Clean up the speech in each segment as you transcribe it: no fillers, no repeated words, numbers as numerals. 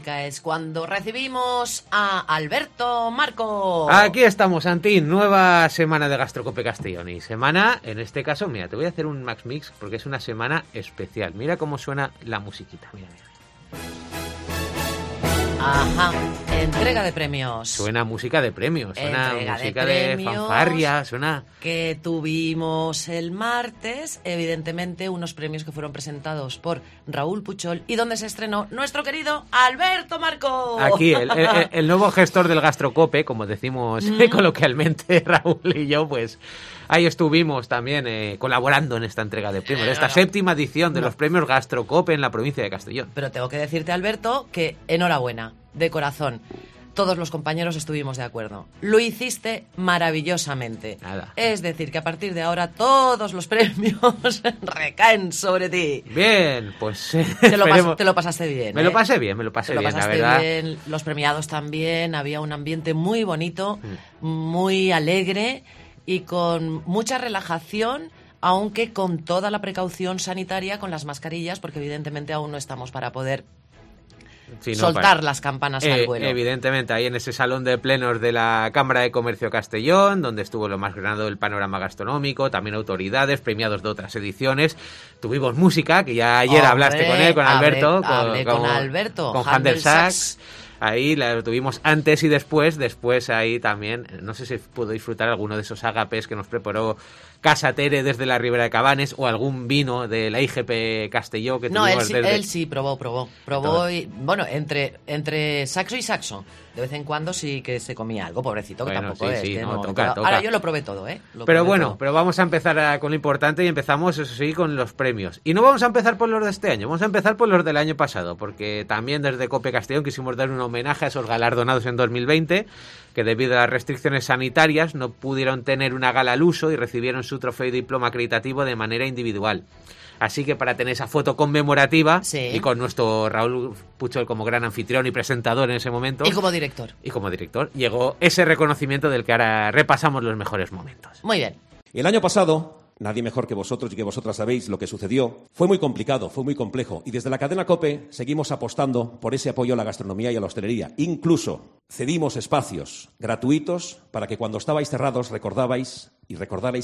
música es cuando recibimos a Alberto Marco. Aquí estamos, Santín, nueva semana de Gastrocope Castellón. Y semana, en este caso, mira, te voy a hacer un Max Mix porque es una semana especial. Mira cómo suena la musiquita, mira. Ajá, entrega de premios. Suena música de premios, suena Entrega música de de fanfarria, suena... Que tuvimos el martes, evidentemente, unos premios que fueron presentados por Raúl Puchol y donde se estrenó nuestro querido Alberto Marco. Aquí, el nuevo gestor del Gastrocope, como decimos coloquialmente Raúl y yo, pues... Ahí estuvimos también colaborando en esta entrega de premios, esta séptima edición de los premios Gastrocope en la provincia de Castellón. Pero tengo que decirte, Alberto, que enhorabuena, de corazón. Todos los compañeros estuvimos de acuerdo. Lo hiciste maravillosamente. Nada. Es decir, que a partir de ahora todos los premios recaen sobre ti. Bien, pues... Te lo pasaste bien. Me lo pasé bien, la verdad. Bien, los premiados también, había un ambiente muy bonito, muy alegre y con mucha relajación, aunque con toda la precaución sanitaria con las mascarillas, porque evidentemente aún no estamos para poder soltar las campanas al vuelo. Evidentemente, ahí en ese salón de plenos de la Cámara de Comercio Castellón, donde estuvo lo más grande del panorama gastronómico, también autoridades, premiados de otras ediciones. Tuvimos música, que ya ayer hablaste con él, con Alberto. Hablé con Alberto. Con Handel Sachs. Ahí la tuvimos antes y después. Después ahí también, no sé si pudo disfrutar alguno de esos ágapes que nos preparó Casa Tere desde la Ribera de Cabanes o algún vino de la IGP Castelló que tuvimos él sí probó. Y, bueno, entre saxo y saxo. De vez en cuando sí que se comía algo, pobrecito, que tampoco es. Sí, que no, no, toca. Ahora yo lo probé todo, ¿eh? Pero vamos a empezar con lo importante y empezamos, eso sí, con los premios. Y no vamos a empezar por los de este año, vamos a empezar por los del año pasado, porque también desde Cope Castellón quisimos dar un homenaje a esos galardonados en 2020, que debido a las restricciones sanitarias no pudieron tener una gala al uso y recibieron su trofeo y diploma acreditativo de manera individual. Así que para tener esa foto conmemorativa y con nuestro Raúl Puchol como gran anfitrión y presentador en ese momento. Y como director. Llegó ese reconocimiento del que ahora repasamos los mejores momentos. Muy bien. El año pasado, nadie mejor que vosotros y que vosotras sabéis lo que sucedió, fue muy complicado, fue muy complejo. Y desde la cadena COPE seguimos apostando por ese apoyo a la gastronomía y a la hostelería. Incluso cedimos espacios gratuitos para que cuando estabais cerrados recordarais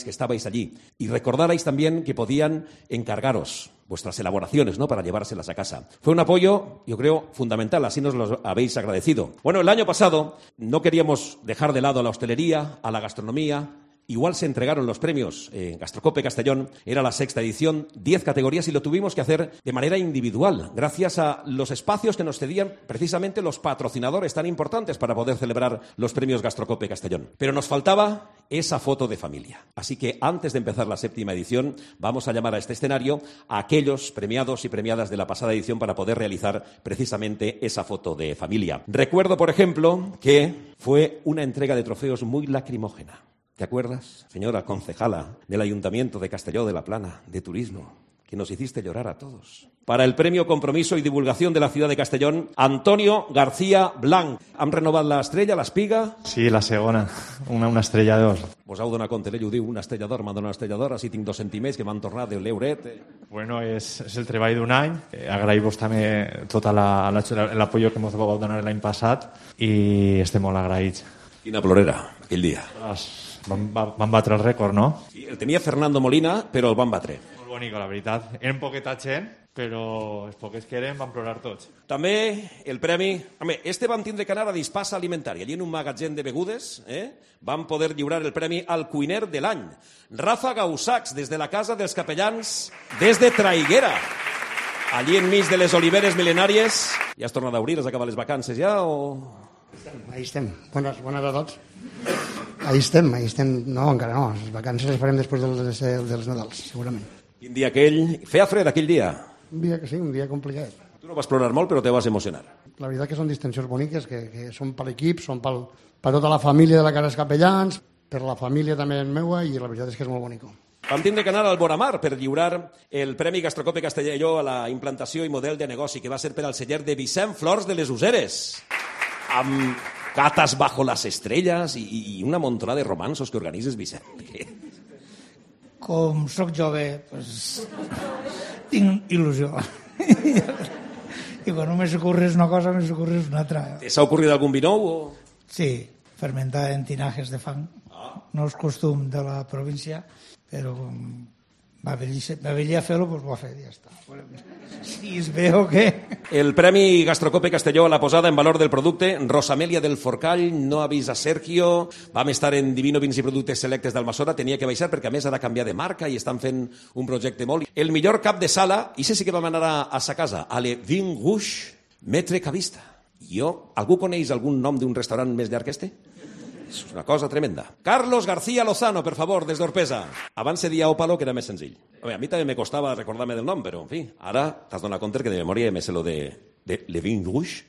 que estabais allí. Y recordarais también que podían encargaros vuestras elaboraciones, ¿no?, para llevárselas a casa. Fue un apoyo, yo creo, fundamental, así nos lo habéis agradecido. Bueno, el año pasado no queríamos dejar de lado a la hostelería, a la gastronomía. Igual se entregaron los premios en Gastrocope Castellón, era la 6ª edición, 10 categorías y lo tuvimos que hacer de manera individual, gracias a los espacios que nos cedían precisamente los patrocinadores tan importantes para poder celebrar los premios Gastrocope Castellón. Pero nos faltaba esa foto de familia. Así que antes de empezar la 7ª edición, vamos a llamar a este escenario a aquellos premiados y premiadas de la pasada edición para poder realizar precisamente esa foto de familia. Recuerdo, por ejemplo, que fue una entrega de trofeos muy lacrimógena. ¿Te acuerdas, señora concejala del Ayuntamiento de Castelló de la Plana, de Turismo, que nos hiciste llorar a todos? Para el Premio Compromiso y Divulgación de la Ciudad de Castellón, Antonio García Blanc. ¿Han renovado la estrella, l'espiga? Sí, la segona, una estrella d'or. Vos heu donat compte, ell ho diu, una estrella d'or, m'han donat una estrella d'or, així tinc 2 centimers que m'han tornat de l'euret. Bueno, és el treball d'un any. Agraïm-vos també tot l'apoyo que ens vau donar l'any passat i estem molt agraïts. Quina plorera, aquell dia. Van batre el rècord, no? Sí, el tenia Fernando Molina, però el van batre. Molt bonic, la veritat. Eren poqueta gent, però els poquets que eren van plorar tots. També el premi... Home, van tindre que anar a Dispasa Alimentària. Allí en un magatzem de begudes van poder lliurar el premi al cuiner de l'any. Rafa Gaussacs, des de la Casa dels Capellans, des de Traiguera. Allí enmig de les oliveres mil·lenàries. Ja has tornat a obrir? Has acabat les vacances ja o...? Ahí estem. Bones a tots. Ahí estem. No, encara no. Les vacances les farem després dels Nadals, segurament. Quin dia aquell? Feia fred aquell dia? Un dia que sí, un dia complicat. Tu no vas plorar molt, però te vas emocionar. La veritat que són distincions boniques, que són per l'equip, són per tota la família de la Casa dels Capellans, per la família també meua, i la veritat és que és molt bonic. Vam tindre que anar al Boramar per lliurar el Premi Gastrocope Castelló a la implantació i model de negoci, que va ser per al celler de Vicent Flors de les Useres, amb catas bajo las estrelles i una montonada de romansos que organitzes, Vicent. Com soc jove, doncs, tinc il·lusió. I quan no me s'ocorres una cosa, me s'ocorres una altra. S'ha ocorrit algun vi nou? O... Sí, fermentar en tinajes de fang. No és costum de la província, però va venir a fer-lo, doncs ho ha fet, ja està. Si es veu que... El Premi Gastrocope Castelló a la posada en valor del producte. Rosamèlia del Forcall no ha vist a Sergio. Vam estar en Divino Vins i Productes Selectes d'Almassora. Tenia que baixar perquè a més ha de canviar de marca i estan fent un projecte molt... El millor cap de sala, i sí que vam anar a sa casa, a Le Vin Rouge, Metre Cavista. Algú coneix algun nom d'un restaurant més llarg que este? És una cosa tremenda. Carlos García Lozano, per favor, des d'Orpesa. Abans se dia Ópalo, que era més senzill. A mi també me costava recordar-me del nom, però, en fi, ara t'has donat compte que de memòria me sé lo de Le Vin Rouge.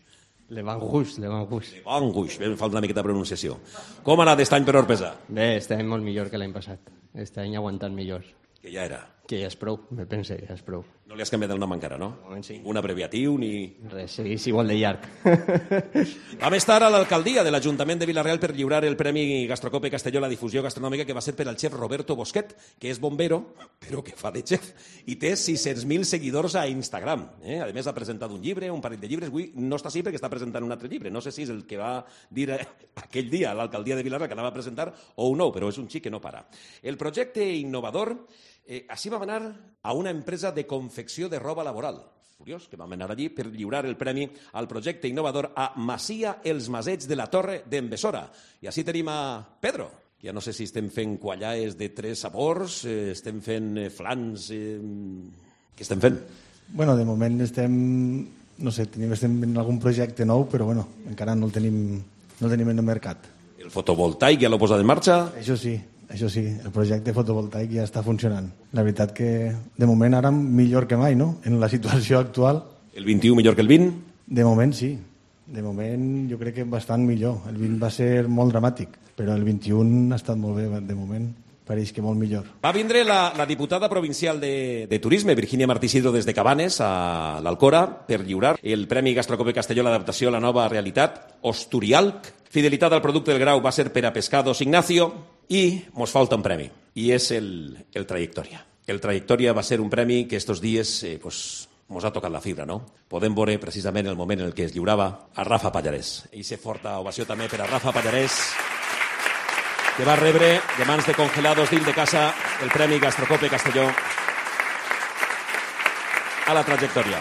Le Vin Rouge. Le Vin Rouge, em falta una miqueta de pronunciació. Com ha anat aquest any per Orpesa? Bé, este any molt millor que l'any passat. Este any aguantant millor. Que ja era. Que ja és prou, me pense, ja és prou. No li has canviat el nom encara, no? De moment sí. Un abreviatiu ni... Res, seguís igual de llarg. Vam estar a l'alcaldia de l'Ajuntament de Vila-real per lliurar el Premi Gastrocope Castelló a la difusió gastronòmica, que va ser per al xef Roberto Bosquet, que és bombero, però que fa de xef, i té 600.000 seguidors a Instagram. A més, ha presentat un llibre, un parell de llibres. Avui no està així perquè està presentant un altre llibre. No sé si és el que va dir aquell dia a l'alcaldia de Vila-real que anava a presentar o un nou, però és un xic que no para. El projecte innovador... Així vam anar a una empresa de confecció de roba laboral. Curiós que vam anar allí per lliurar el premi al projecte innovador a Masia Els Masets de la Torre d'en Besora. I així tenim a Pedro. Ja no sé si estem fent quallaes de 3 sabors, estem fent flans... Què estem fent? Bueno, de moment estem estem en algun projecte nou, però bueno, encara no el tenim en el mercat. El fotovoltaic ja l'ho posat en marxa? Això sí, el projecte fotovoltaic ja està funcionant. La veritat que, de moment, ara millor que mai, no?, en la situació actual. El 21 millor que el 20? De moment, sí. De moment, jo crec que bastant millor. El 20 va ser molt dramàtic, però el 21 ha estat molt bé, de moment. Pareix que molt millor. Va vindre la diputada provincial de Turisme, Virginia Martí Sidro, des de Cabanes, a l'Alcora, per lliurar el Premi Gastrocope Castelló a l'adaptació a la nova realitat, Osturialc. Fidelitat al producte del grau va ser per a Pescados Ignacio i mos falta un premi, i és el Trayectòria. El Trayectòria va ser un premi que estos dies mos ha tocat la fibra, no? Podem veure precisament el moment en el que es lliurava a Rafa Pallarès. I se forta ovació també per a Rafa Pallarès, que va rebre de mans de Congelados d'Il de Casa el Premi Gastrocope Castelló a la Trayectòria.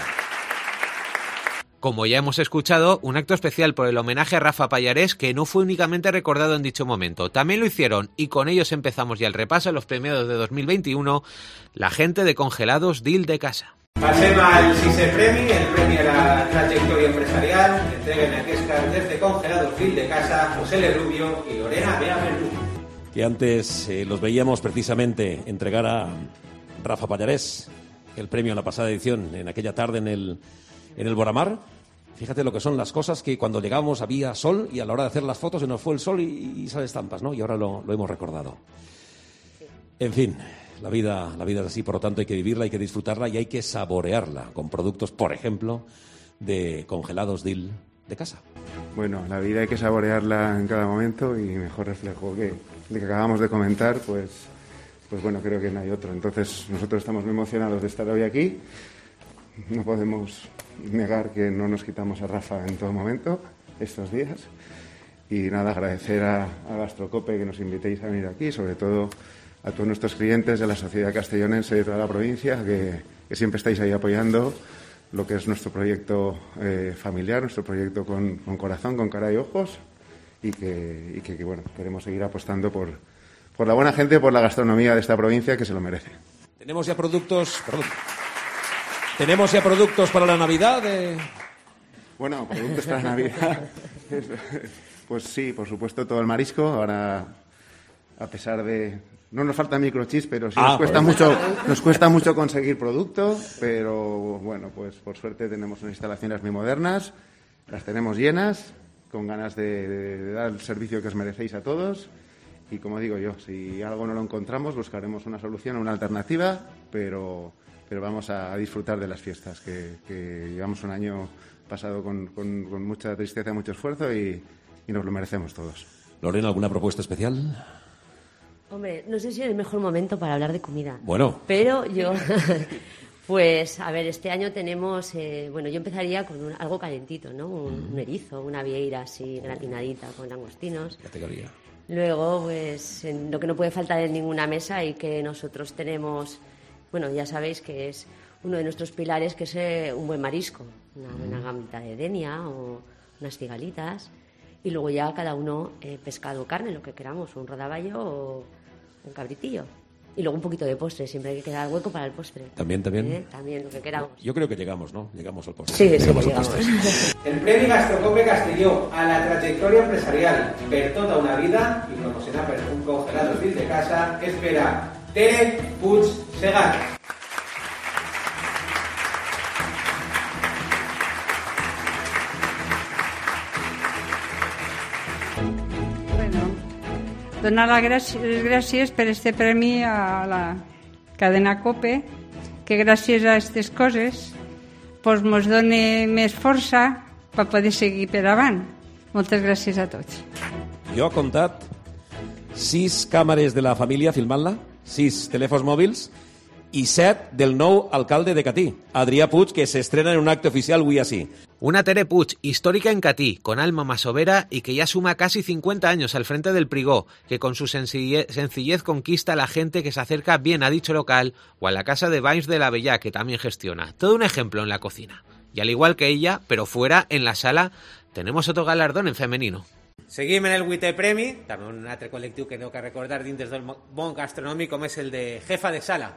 Como ya hemos escuchado, un acto especial por el homenaje a Rafa Pallarès, que no fue únicamente recordado en dicho momento. También lo hicieron, y con ellos empezamos ya el repaso a los premiados de 2021, la gente de Congelados d'Il de Casa. Passem al sisè premi, el premi a la trajectòria empresarial, que entreguen aquestes desde Congelados d'Il de Casa, José Le Rubio y Lorena Bea Verdú. Que antes los veíamos precisamente entregar a Rafa Pallarès el premio a la pasada edición, en aquella tarde en el Boramar. Fíjate lo que son las cosas, que cuando llegamos había sol y a la hora de hacer las fotos se nos fue el sol y sale estampas, ¿no? Y ahora lo hemos recordado. En fin, la vida es así, por lo tanto hay que vivirla, hay que disfrutarla y hay que saborearla con productos, por ejemplo, de Congelados d'Il de Casa. Bueno, la vida hay que saborearla en cada momento y mejor reflejo que el que acabamos de comentar, pues bueno, creo que no hay otro. Entonces nosotros estamos muy emocionados de estar hoy aquí. No podemos negar que no nos quitamos a Rafa en todo momento estos días. Y nada, agradecer a Gastrocope que nos invitéis a venir aquí, sobre todo a todos nuestros clientes de la sociedad castellonense de toda la provincia, que siempre estáis ahí apoyando lo que es nuestro proyecto familiar, nuestro proyecto con corazón, con cara y ojos, y que bueno, queremos seguir apostando por la buena gente, por la gastronomía de esta provincia, que se lo merece. Tenemos ya productos para la Navidad. Bueno, productos para la Navidad. Pues sí, por supuesto, todo el marisco. Ahora, a pesar de... No nos falta microchips, pero sí nos cuesta mucho conseguir producto. Pero bueno, pues por suerte tenemos unas instalaciones muy modernas. Las tenemos llenas, con ganas de dar el servicio que os merecéis a todos. Y como digo yo, si algo no lo encontramos, buscaremos una solución, una alternativa, pero vamos a disfrutar de las fiestas, que llevamos un año pasado con mucha tristeza, mucho esfuerzo y nos lo merecemos todos. Lorena, ¿alguna propuesta especial? Hombre, no sé si es el mejor momento para hablar de comida. Bueno. Pero yo Pues, a ver, este año tenemos, bueno, yo empezaría con algo calentito, ¿no? Un erizo, una vieira así gratinadita con langostinos. Categoría. Luego, pues, lo que no puede faltar en ninguna mesa y que nosotros tenemos, bueno, ya sabéis que es uno de nuestros pilares, que es un buen marisco, una buena gambita de denia o unas cigalitas. Y luego ya cada uno pescado o carne, lo que queramos, un rodaballo o un cabritillo. Y luego un poquito de postre, siempre hay que quedar hueco para el postre. También. También, lo que queramos. Yo creo que llegamos, ¿no? Llegamos al postre. Sí, llegamos. El Premi Gastrocope Castelló a la trayectoria empresarial per tota una vida i promocionar per un congelador dins de casa és per a Tere Puig Segat. Donar les gràcies per este premi a la cadena COPE, que gràcies a aquestes coses pues, mos dona més força per poder seguir per avant. Moltes gràcies a tots. Jo he comptat 6 càmeres de la família filmant-la, 6 telèfons mòbils i 7 del nou alcalde de Catí, Adrià Puig, que s'estrena en un acte oficial avui així. Una Tere Puig, histórica en Catí, con alma masovera y que ya suma casi 50 años al frente del Prigó, que con su sencillez conquista a la gente que se acerca bien a dicho local o a la casa de Bains de la Bellá, que también gestiona. Todo un ejemplo en la cocina. Y al igual que ella, pero fuera, en la sala, tenemos otro galardón en femenino. Seguim en el 8è premi, també un altre col·lectiu que heu que recordar dins del món gastronòmic, com és el de jefa de sala.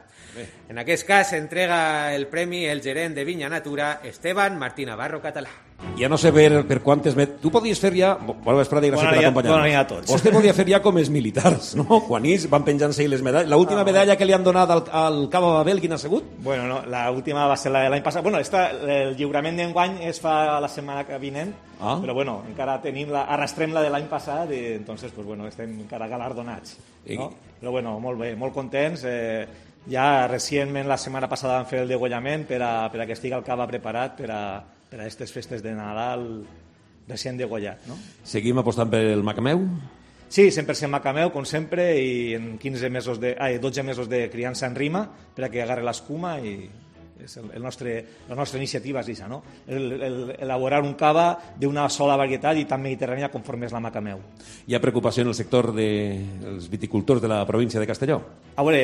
En aquest cas s'entrega el premi el gerent de Vinya Natura, Esteban Martí Navarro Català. Ja no sé per quantes... Tu podies fer ja... Bona vesprada i gràcies per acompanyar-nos. Bona nit a tots. Vostè podia fer ja com els militars, no? Quan ells van penjant-se les medalles. L'última medalla que li han donat al Cabo Babel, quina ha sigut? Bueno, no, l'última va ser l'any passat. Bueno, el lliurament d'enguany es fa la setmana que vinent, però bueno, encara arrastrem la de l'any passat i entonces, pues bueno, estem encara galardonats. No? Però bueno, molt bé, molt contents. Ja recentment, la setmana passada, vam fer el degollament per a que estigui el cava preparat per a aquestes festes de Nadal recient degollat. No? Seguim apostant per el Macameu? Sí, 100% Macameu, com sempre, i en 12 mesos de criança en rima per a que agarre l'escuma i és la nostra iniciativa és això, no? Elaborar un cava d'una sola varietat i tan mediterrània conforme és la Macameu. Hi ha preocupació en el sector dels viticultors de la província de Castelló? A veure,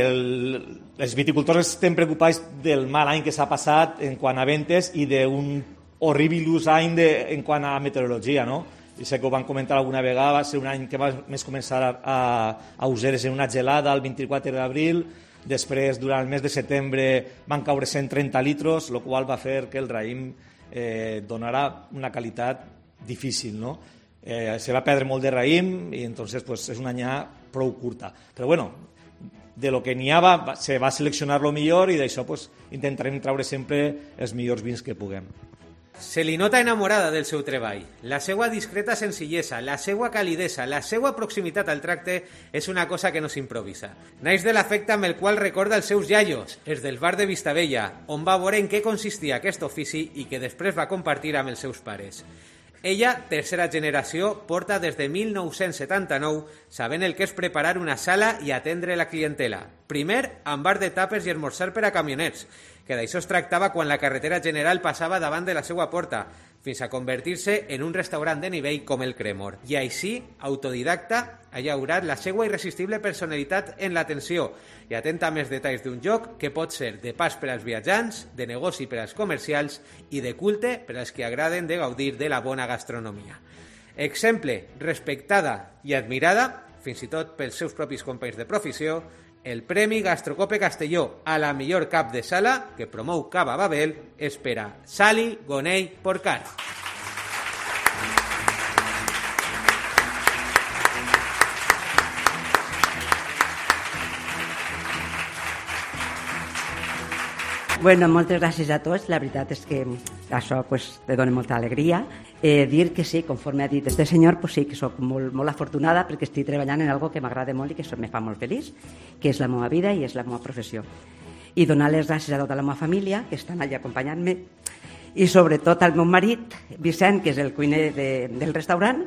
els viticultors estem preocupats del mal any que s'ha passat en quant a ventes i d'un horribilus any en quant a meteorologia, no? I sé que ho van comentar alguna vegada, va ser un any que va més començar a useres en una gelada el 24 d'abril, després durant el mes de setembre van caure 130 litros, el qual va fer que el raïm donarà una qualitat difícil, no? Se va perdre molt de raïm i entonces pues, és una anyà prou curta. Però bueno, de lo que n'hi ha se va seleccionar lo millor i d'això pues, intentarem traure sempre els millors vins que puguem. Se li nota enamorada del seu treball. La seva discreta senzillesa, la seva calidesa, la seva proximitat al tracte és una cosa que no s'improvisa. Naix de l'afecte amb el qual recorda els seus iaios, els del bar de Vistabella, on va veure en què consistia aquest ofici i que després va compartir amb els seus pares. Ella, tercera generació, porta des de 1979 sabent el que és preparar una sala i atendre la clientela. Primer, amb bar de tàpers i esmorzar per a camioners, que d'això es tractava quan la carretera general passava davant de la seva porta, fins a convertir-se en un restaurant de nivell com el Cremor. I així, autodidacta, ha llaurat la seva irresistible personalitat en l'atenció i atenta a més detalls d'un lloc que pot ser de pas per als viatjants, de negoci per als comercials i de culte per als que agraden de gaudir de la bona gastronomia. Exemple, respectada i admirada, fins i tot pels seus propis companys de professió, el Premi Gastrocope Castelló a la millor cap de sala que promou Cava Babel és per a Sally Gonell Porcar. Bueno, moltes gràcies a tots. La veritat és que això pues, te dona molta alegria. Dir que sí, conforme ha dit este senyor, pues sí, que soc molt afortunada perquè estic treballant en algo que m'agrada molt i que me fa molt feliç, que és la meva vida i és la meva professió. I donar les gràcies a tota la meva família, que estan allà acompanyant-me, i sobretot al meu marit, Vicent, que és el cuiner del restaurant,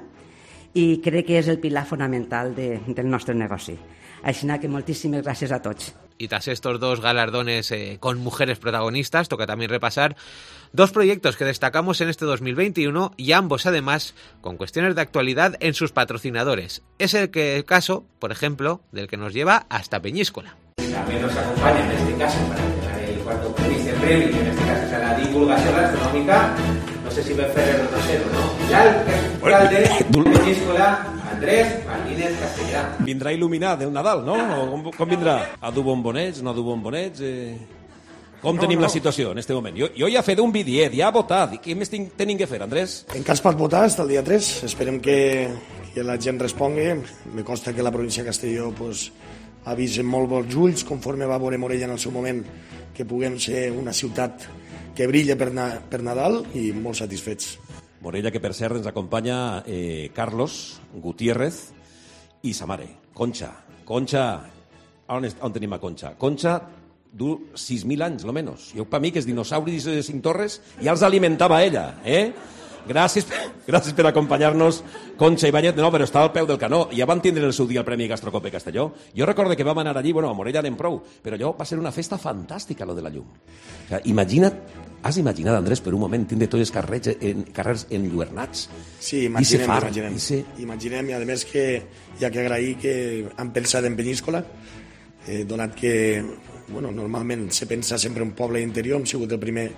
i crec que és el pilar fonamental del nostre negoci. Així que moltíssimes gràcies a tots. Y tras estos 2 galardones con mujeres protagonistas, toca también repasar 2 proyectos que destacamos en este 2021 y ambos, además, con cuestiones de actualidad en sus patrocinadores. Es el caso, por ejemplo, del que nos lleva hasta Peñíscola. También nos acompaña en este caso para entregar el cuarto premio, que en este caso es a la divulgación gastronòmica. No sé si ve Ferrero Rocher o no. L'alcalde de Peñíscola, Andrés Martínez Castellà. Vindrà il·luminat el Nadal, no? O com vindrà? A dur bombonets, no a dur bombonets? Com tenim la situació en aquest moment? Jo ja he fet un bidiet, ja he votat. Què més tenim que fer, Andrés? Encara es pot votar fins al dia 3. Esperem que la gent respongui. Me consta que la província de Castelló ha vist amb molt bons ulls, conforme va veure Morella en el seu moment, que puguem ser una ciutat que brilla per Nadal i molt satisfets. Morella, que per cert ens acompanya Carlos Gutiérrez i sa mare, Concha. Concha, on tenim a Concha? Concha du 6.000 anys, lo menos. Jo, per mi, que els dinosauris de Cintorres ja els alimentava ella, Gràcies per acompanyar-nos, Concha Ibáñez. No, però està al peu del canó. Ja van tindre el seu dia el Premi Gastrocope Castelló. Jo recordo que vam anar allí, a Morella anem prou, però allò va ser una festa fantàstica, lo de la llum. O sigui, has imaginat, Andrés, per un moment, tindre tots els carrers enlluernats? Sí, imaginem, i a més que hi ha que agrair que han pensat en Peñíscola, donat que normalment se pensa sempre en un poble interior. Hem sigut el primer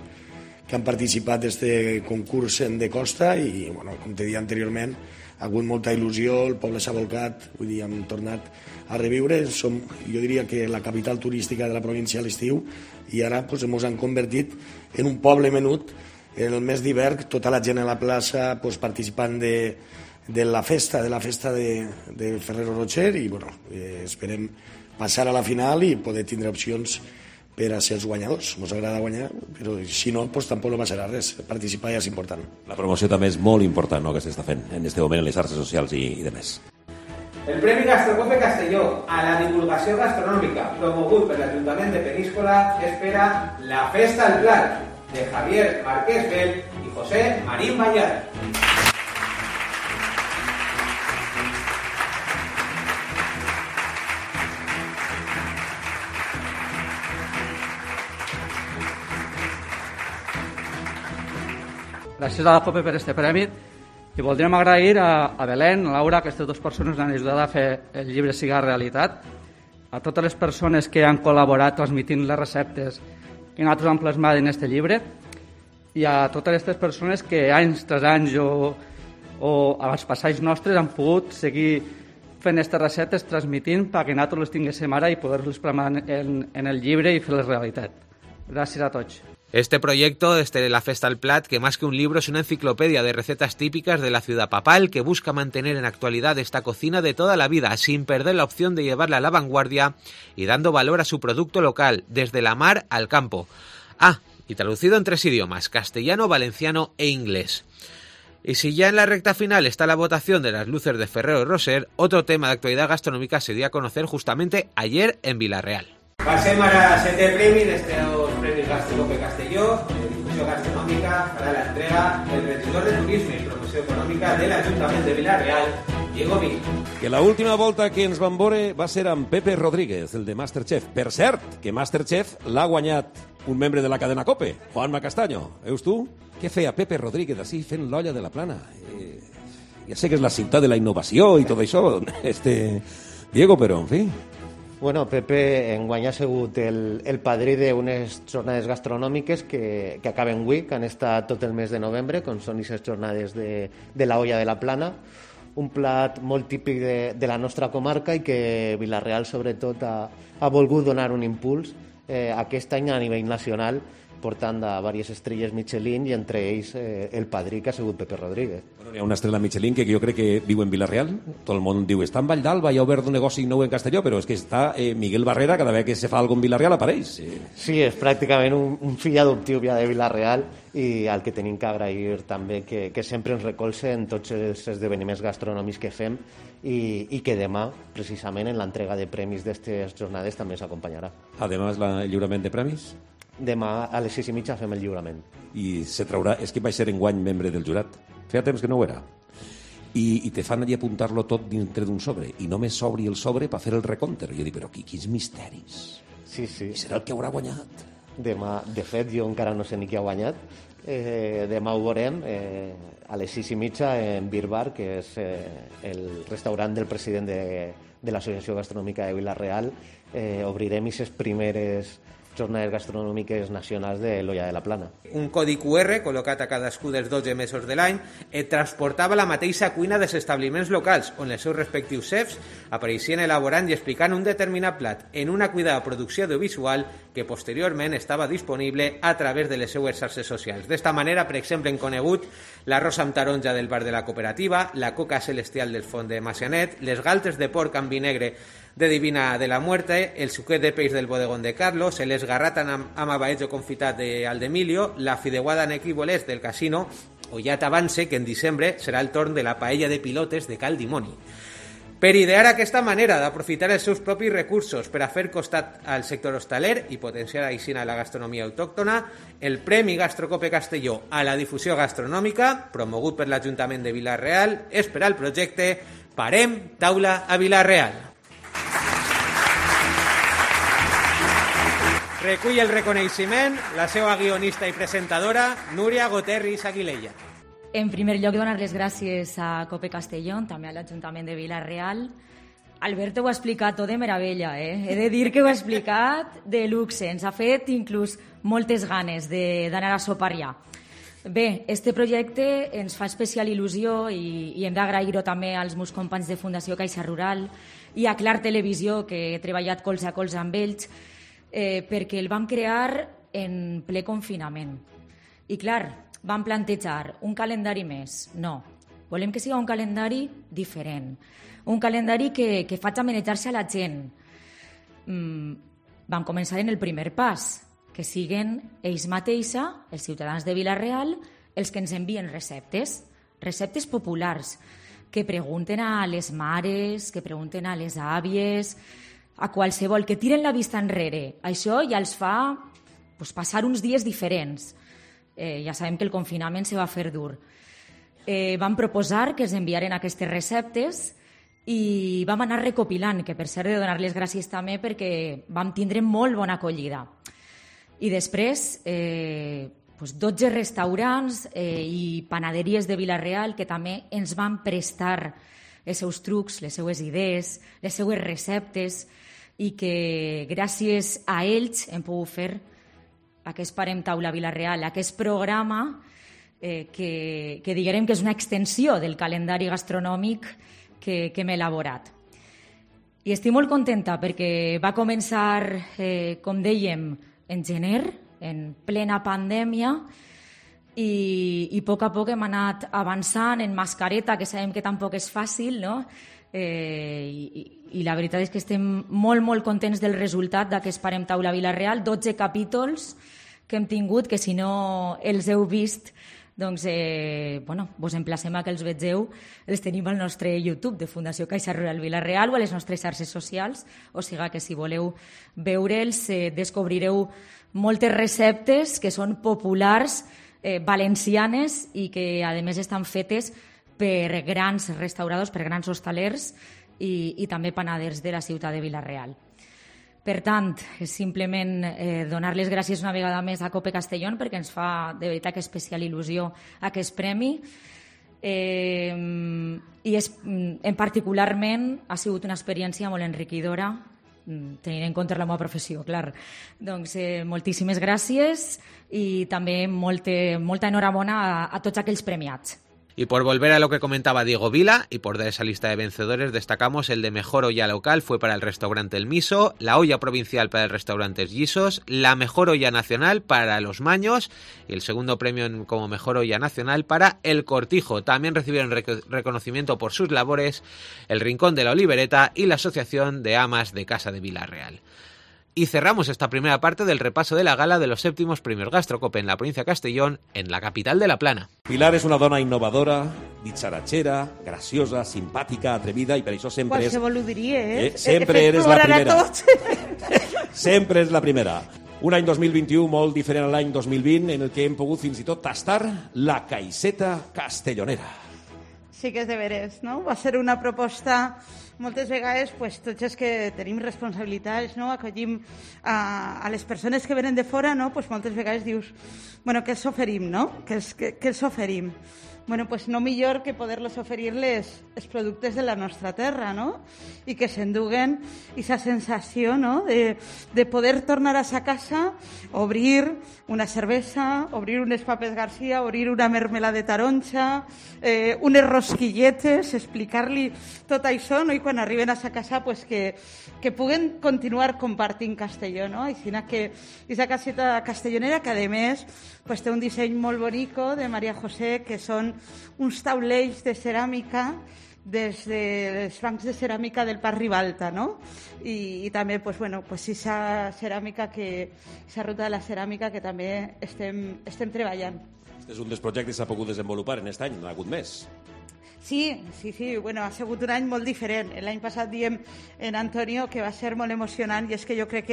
que han participat d'aquest concurs de costa i, com te deia anteriorment, ha hagut molta il·lusió, el poble s'ha volcat, vull dir, hem tornat a reviure. Som, jo diria que la capital turística de la província a l'estiu, i ara ens han convertit en un poble menut. El mes d'hivern, tota la gent a la plaça participant de la festa de Ferrero Rocher, i esperem passar a la final i poder tindre opcions per a ser els guanyadors. Ens agrada guanyar, però si no, tampoc no passarà res. Participar ja és important. La promoció també és molt important, no?, que s'està fent en aquest moment en les xarxes socials i demés. El Premi Gastrocope Castelló a la divulgació gastronòmica promogut per l'Ajuntament de Peñíscola espera la Festa al Plat de Javier Márquez Bel i José Marín Bayar. Gràcies a la COPE per aquest premi i voldríem agrair a Belén, a Laura, que aquestes 2 persones han ajudat a fer el llibre siga realitat, a totes les persones que han col·laborat transmitint les receptes que nosaltres hem plasmat en aquest llibre i a totes aquestes persones que anys tras anys o als passats nostres han pogut seguir fent aquestes receptes, transmitint perquè nosaltres les tinguéssim ara i poder-les plasmar en el llibre i fer-les realitat. Gràcies a tots. Este proyecto, La Festa al Plat, que más que un libro es una enciclopedia de recetas típicas de la ciudad papal que busca mantener en actualidad esta cocina de toda la vida, sin perder la opción de llevarla a la vanguardia y dando valor a su producto local, desde la mar al campo. Y traducido en 3 idiomas, castellano, valenciano e inglés. Y si ya en la recta final está la votación de las luces de Ferrero Rocher, otro tema de actualidad gastronómica se dio a conocer justamente ayer en Vila-real. Passem ara a 7è premi dels Premis Gastrocope Castelló, de difusió gastronòmica, para la entrega del regidor de Turisme i Promoció Econòmica de l'Ajuntament de Vila-real, Diego Mir. Que la última volta que ens van veure va ser amb Pepe Rodríguez, el de Masterchef. Per cert, que Masterchef l'ha guanyat un membre de la cadena COPE, Juanma Castaño. Veus tu? Què feia Pepe Rodríguez així fent l'olla de la Plana? Ja sé que és la ciutat de la innovació i tot això, Diego, però, en fi... Bueno, Pepe enguany ha sigut el padrí d'unes jornades gastronòmiques que acaben avui, que han estat tot el mes de novembre, com són aquestes jornades de la olla de la Plana, un plat molt típic de la nostra comarca i que Vila-real, sobretot, ha volgut donar un impuls aquest any a nivell nacional, portant a diverses estrelles Michelin i entre ells el padrí, que ha sigut Pepe Rodríguez. Bueno, hi ha una estrella Michelin que jo crec que viu en Vila-real. Tot el món diu, està en Vall d'Alba, hi ha obert un negoci nou en Castelló, però és que està Miguel Barrera, cada vegada que se fa alguna cosa en Vila-real apareix. Sí, és pràcticament un fill adoptiu ja de Vila-real i al que tenim que agrair també que sempre ens recolze en tots els esdeveniments gastronòmics que fem i que demà, precisament, en l'entrega de premis d'aquestes jornades també s'acompanyarà. Además, el lliurament de premis? Demà a les 6:30 fem el lliurament. I se traurà... És que vaig ser enguany membre del jurat. Feia temps que no ho era. I te fan allí apuntar-lo tot dintre d'un sobre. I només s'obri el sobre per fer el recompte. Jo dic, però quins misteris. Sí, sí. I serà el que haurà guanyat. Demà, de fet, jo encara no sé ni qui ha guanyat. Demà ho veurem a les 6:30 en Beer Bar, que és el restaurant del president de l'Associació Gastronòmica de Vila-real. Obrirem aquestes primeres jornades gastronòmiques nacionals de l'Olla de la Plana. Un codi QR col·locat a cadascú dels 12 mesos de l'any et transportava la mateixa cuina dels establiments locals, on els seus respectius chefs apareixien elaborant i explicant un determinat plat en una cuidada producció audiovisual que posteriorment estava disponible a través de les seues xarxes socials. D'esta manera, per exemple, hem conegut l'arròs amb taronja del bar de la cooperativa, la coca celestial del font de Macianet, les galtes de porc amb vi negre de Divina de la Muerte, el suquet de peix del bodegón de Carlos, el esgarrat amb abaetjo confitat d'Aldemilio, la fideuada en equívoles del casino, o ja t'avance que en desembre serà el torn de la paella de pilotes de Cal Dimoni. Per idear aquesta manera d'aprofitar els seus propis recursos per a fer costat al sector hostaler i potenciar així la gastronomia autòctona, el Premi Gastrocope Castelló a la difusió gastronòmica, promogut per l'Ajuntament de Vila-real, és per al projecte Parem Taula a Vila-real. Recull el reconeixement la seva guionista i presentadora, Núria Goterris Aguilella. En primer lloc, donar les gràcies a Cope Castellón, també a l'Ajuntament de Vila-real. Alberto ho ha explicat tot de meravella, He de dir que ho ha explicat de luxe. Ens ha fet inclús moltes ganes d'anar a sopar ja. Bé, este projecte ens fa especial il·lusió i hem d'agrair-ho també als meus companys de Fundació Caixa Rural i a Clar Televisió, que he treballat colze a colze amb ells, perquè el vam crear en ple confinament. I clar, vam plantejar un calendari més. No, volem que sigui un calendari diferent, un calendari que faci homenatjar-se a la gent. Vam començar en el primer pas, que siguen ells mateixa, els ciutadans de Vila-real, els que ens envien receptes populars, que pregunten a les mares, que pregunten a les àvies, a qualsevol, que tiren la vista enrere. Això ja els fa passar uns dies diferents. Ja sabem que el confinament se va fer dur. Vam proposar que ens enviaren aquestes receptes i vam anar recopilant, que per cert de donar les gràcies també perquè vam tindre molt bona acollida. I després 12 restaurants i panaderies de Vila-real que també ens van prestar els seus trucs, les seues idees, les seues receptes, i que gràcies a ells hem pogut fer aquest Parem Taula Vila-real, aquest programa que diguem que és una extensió del calendari gastronòmic que hem elaborat. I estic molt contenta perquè va començar, com dèiem, en gener, en plena pandèmia, i a poc hem anat avançant en mascareta, que sabem que tampoc és fàcil, no? I la veritat és que estem molt contents del resultat d'aquest Parem Taula Vila-real, 12 capítols que hem tingut, que si no els heu vist, doncs vos emplacem a que els vegeu. Els tenim al nostre YouTube de Fundació Caixa Rural Vila-real o a les nostres xarxes socials, o sigui que si voleu veure'ls descobrireu moltes receptes que són populars, valencianes, i que a més estan fetes per grans restauradors, per grans hostalers i també panaders de la ciutat de Vila-real. Per tant, és simplement donar les gràcies una vegada més a Cope Castellón perquè ens fa de veritat especial il·lusió aquest premi, i en particularment ha sigut una experiència molt enriquidora, tenint en compte la meva professió, clar. Doncs moltíssimes gràcies i també molta enhorabona a tots aquells premiats. Y por volver a lo que comentaba Diego Vila, y por de esa lista de vencedores destacamos el de mejor olla local fue para el restaurante El Miso, la olla provincial para el restaurante Gisos, la mejor olla nacional para Los Maños y el segundo premio como mejor olla nacional para El Cortijo. También recibieron reconocimiento por sus labores el Rincón de la Olivereta y la Asociación de Amas de Casa de Vila-real. Y cerramos esta primera parte del repaso de la gala de los 7º premios Gastrocope en la provincia de Castellón, en la capital de la Plana. Pilar és una dona innovadora, ditxaratxera, graciosa, simpàtica, atrevida, i per això sempre és... Qualsevol ho diria, Sempre eres la primera. Sempre és la primera. Un any 2021 molt diferent a l'any 2020, en el que hem pogut fins i tot tastar la caixeta castellonera. sí que és de veres, no? Va ser una proposta, moltes vegades, pues, tots els que tenim responsabilitats, no? Acollim a les persones que venen de fora, no? Pues moltes vegades dius, bueno, què els oferim, no? Què els oferim? Bueno, pues no millor que poder-los oferir-les els productes de la nostra terra, no? I que s'enduguen aquesta sensació, no? De poder tornar a sa casa, obrir una cervesa, obrir unes papes Garcia, obrir una mermelada de taronja, unes rosquilletes, explicar-li tot això, no? I quan arriben a sa casa, pues que puguen continuar compartint Castelló, no? Així que aquesta caseta castellonera, que a més pues, té un disseny molt bonico de Maria José, que són uns taulells de ceràmica des dels bancs de ceràmica del Parc Ribalta, no? I també, pues, bueno, pues, esa ceràmica esa ruta de la ceràmica que també estem treballant. Este és un dels projectes que s'ha pogut desenvolupar en aquest any, no ha hagut més. Sí, bueno, ha sigut un any molt diferent. L'any passat diem en Antonio que va ser molt emocionant i és que jo crec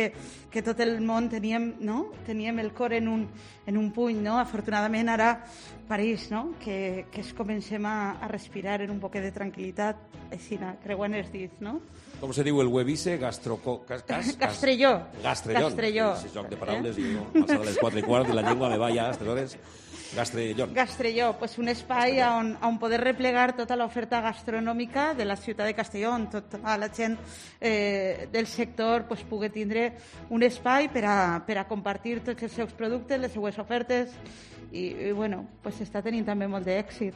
que tot el món teníem el cor en un puny, no? Afortunadament ara París, no? Que es comencem a respirar en un poquet de tranquil·litat, així, creuant els dits, no? Com se diu el Webise? Castrelló. Castrelló. Sí, joc de paraules, i no, passar a les 4:15 i la llengua me va ja a aquestes hores. Castrelló, pues un espai on poder replegar tota l'oferta gastronòmica de la ciutat de Castelló, on tota la gent del sector pues, pugui tindre un espai per a compartir tots els seus productes, les seues ofertes i bueno, pues està tenint també molt d'èxit.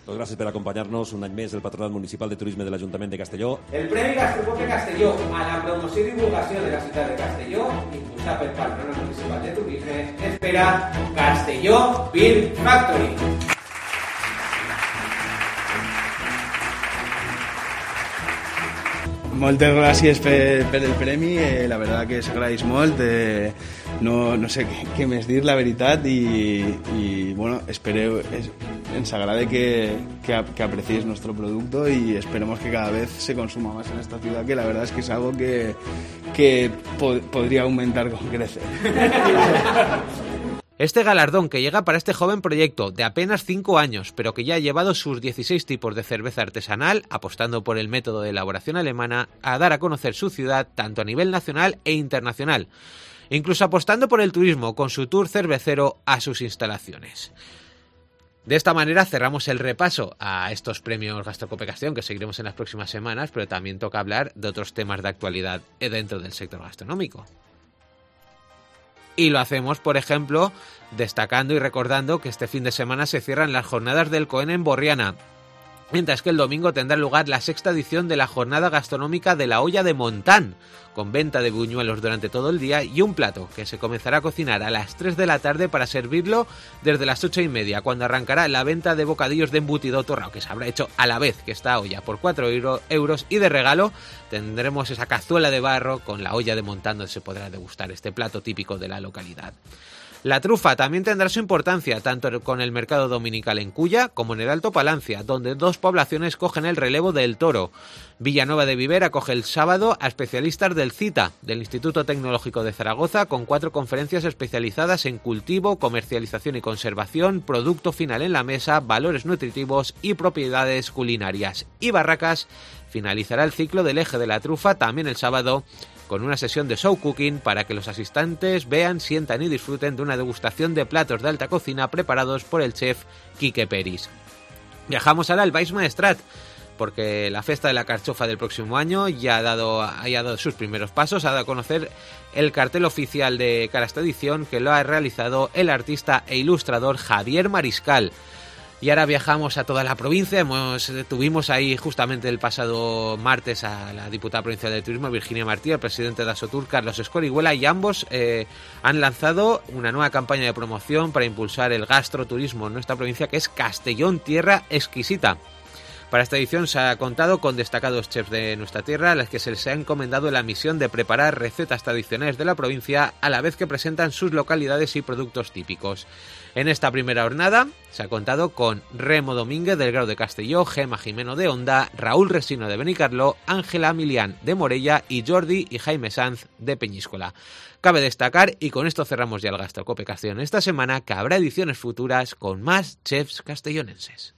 Doncs gràcies per acompanyar-nos un any més del Patronat Municipal de Turisme de l'Ajuntament de Castelló. El Premi Gastrocope Castelló a la promoció i divulgació de la ciutat de Castelló, impulsat pel Patronat Municipal de Turisme, espera Castelló Beer Factory. Moltes gràcies per el premi, la veritat que s'agraeix molt, no sé què més dir, la veritat, i bueno, ens agrada que aprecies nuestro producto y esperemos que cada vez se consuma más en esta ciudad, que la verdad es que es algo que podría aumentar con creces. Este galardón que llega para este joven proyecto de apenas 5 años, pero que ya ha llevado sus 16 tipos de cerveza artesanal, apostando por el método de elaboración alemana, a dar a conocer su ciudad tanto a nivel nacional e internacional, incluso apostando por el turismo con su tour cervecero a sus instalaciones. De esta manera cerramos el repaso a estos premios Gastrocope Castellón, que seguiremos en las próximas semanas, pero también toca hablar de otros temas de actualidad dentro del sector gastronómico. Y lo hacemos, por ejemplo, destacando y recordando que este fin de semana se cierran las jornadas del Cohen en Borriana, mientras que el domingo tendrá lugar la 6ª edición de la jornada gastronómica de la olla de Montán, con venta de buñuelos durante todo el día y un plato que se comenzará a cocinar a las 3 de la tarde para servirlo desde las 8:30, cuando arrancará la venta de bocadillos de embutido torrado, que se habrá hecho a la vez que esta olla por 4 euros, y de regalo tendremos esa cazuela de barro con la olla de Montán, donde se podrá degustar este plato típico de la localidad. La trufa también tendrá su importancia, tanto con el mercado dominical en Culla como en el Alto Palancia, donde 2 poblaciones cogen el relevo del toro. Villanueva de Viver acoge el sábado a especialistas del CITA, del Instituto Tecnológico de Zaragoza, con 4 conferencias especializadas en cultivo, comercialización y conservación, producto final en la mesa, valores nutritivos y propiedades culinarias. Y Barracas finalizará el ciclo del eje de la trufa también el sábado, con una sesión de show cooking para que los asistentes vean, sientan y disfruten de una degustación de platos de alta cocina preparados por el chef Quique Peris. Viajamos ahora al Baix Maestrat, porque la Festa de la Carchofa del próximo año ya ha dado sus primeros pasos, ha dado a conocer el cartel oficial de cara a esta edición, que lo ha realizado el artista e ilustrador Javier Mariscal. Y ahora viajamos a toda la provincia. Tuvimos ahí justamente el pasado martes a la diputada provincial de Turismo, Virginia Martí, al presidente de Asotur, Carlos Escorihuela, y ambos han lanzado una nueva campaña de promoción para impulsar el gastroturismo en nuestra provincia, que es Castellón Tierra Exquisita. Para esta edición se ha contado con destacados chefs de nuestra tierra, a los que se les ha encomendado la misión de preparar recetas tradicionales de la provincia, a la vez que presentan sus localidades y productos típicos. En esta primera jornada se ha contado con Remo Domínguez del Grau de Castelló, Gema Jimeno de Onda, Raúl Resino de Benicarló, Ángela Milián de Morella y Jordi y Jaime Sanz de Peñíscola. Cabe destacar, y con esto cerramos ya el Gastrocope Castellón esta semana, que habrá ediciones futuras con más chefs castellonenses.